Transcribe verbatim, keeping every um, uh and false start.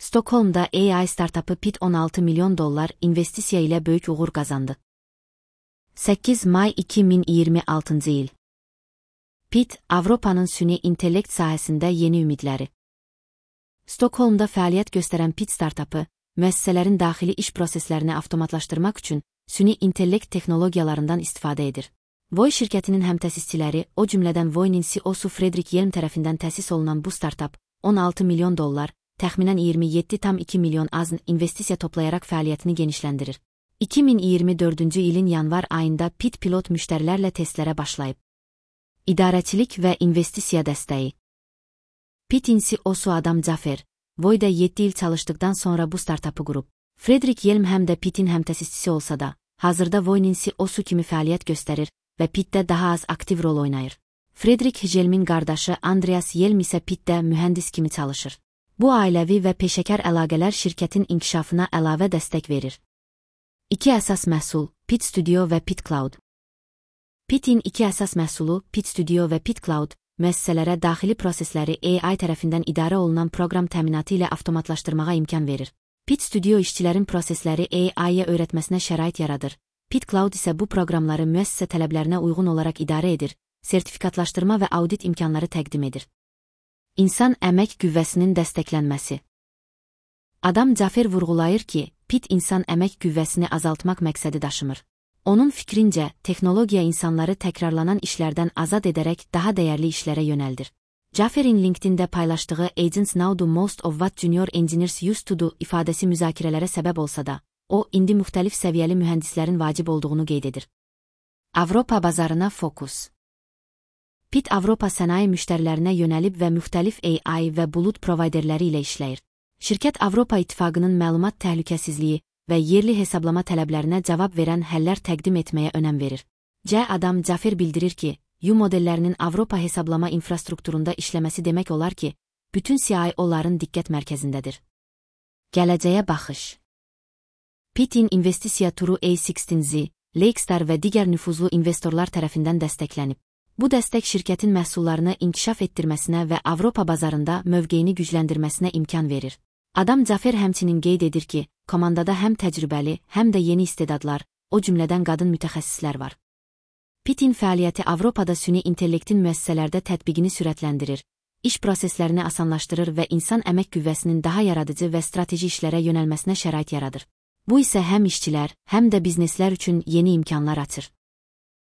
Stockholm'da A I startupı Pitt on altı milyon dollar investisiya ilə böyük uğur qazandı. səkkiz may iki min iyirmi altıncı il. Pitt, Avropanın süni intellekt sahəsində yeni ümidləri. Stockholm'da fəaliyyət göstərən Pitt startupı, müəssisələrin daxili iş proseslərini avtomatlaşdırmaq üçün süni intellekt texnologiyalarından istifadə edir. Voy şirkətinin həmtəsisçiləri, o cümlədən Voy'nin C E O'su Fredrik Yelm tərəfindən təsis olunan bu startup, on altı milyon dollar, təxminən iyirmi yeddi tam iki milyon azn investisiya toplayaraq fəaliyyətini genişləndirir. iki min iyirmi dördüncü ilin yanvar ayında Pitt pilot müştərilərlə testlərə başlayıb. İdarəçilik və investisiya dəstəyi. Pitt'in C E O'su Adam Zafer, Voy'da yeddi il çalışdıqdan sonra bu startupı qurub. Fredrik Yelm həm də Pitt'in həmtəsisçisi olsa da, hazırda Voy'nin C E O'su kimi fəaliyyət göstərir və Pitt'də daha az aktiv rol oynayır. Fredrik Yelmin qardaşı Andreas Yelm isə Pitt'də mühəndis kimi çalışır. Bu ailəvi və peşəkar əlaqələr şirkətin inkişafına əlavə dəstək verir. İki əsas məhsul, Pitt Studio və Pitt Cloud. Pitt'in iki əsas məhsulu, Pitt Studio və Pitt Cloud, müəssisələrə daxili prosesləri A I tərəfindən idarə olunan proqram təminatı ilə avtomatlaşdırmağa imkan verir. Pitt Studio işçilərin prosesləri A I-yə öyrətməsinə şərait yaradır. Pitt Cloud isə bu proqramları müəssisə tələblərinə uyğun olaraq idarə edir, sertifikatlaşdırma və audit imkanları təqdim edir. İnsan əmək qüvvəsinin dəstəklənməsi. Adam Zafer vurğulayır ki, Pitt insan əmək qüvvəsini azaltmaq məqsədi daşımır. Onun fikrincə, texnologiya insanları təkrarlanan işlərdən azad edərək daha dəyərli işlərə yönəldir. Zafer'in LinkedIn'də paylaşdığı Agents now do most of what junior engineers used to do ifadəsi müzakirələrə səbəb olsa da, o, indi müxtəlif səviyyəli mühəndislərin vacib olduğunu qeyd edir. Avropa bazarına fokus. Pitt Avropa sənaye müştərilərinə yönəlib və müxtəlif A I və bulut provayderləri ilə işləyir. Şirkət Avropa İttifaqının məlumat təhlükəsizliyi və yerli hesablama tələblərinə cavab verən həllər təqdim etməyə önəm verir. C. Adam Zafer bildirir ki, U modellərinin Avropa hesablama infrastrukturunda işləməsi demək olar ki, bütün C I O'ların diqqət mərkəzindədir. Gələcəyə baxış. Pitt'in investisiya turu A on altı Z, Lakestar və digər nüfuzlu investorlar tərəfindən dəstəklənib. Bu dəstək şirkətin məhsullarını inkişaf etdirməsinə və Avropa bazarında mövqeyini gücləndirməsinə imkan verir. Adam Zafer həmçinin qeyd edir ki, komandada həm təcrübəli, həm də yeni istedadlar, o cümlədən qadın mütəxəssislər var. Pitt'in fəaliyyəti Avropada süni intellektin müəssisələrdə tətbiqini sürətləndirir, iş proseslərini asanlaşdırır və insan əmək qüvvəsinin daha yaradıcı və strateji işlərə yönəlməsinə şərait yaradır. Bu isə həm işçilər, həm də bizneslər üçün yeni imkanlar açır.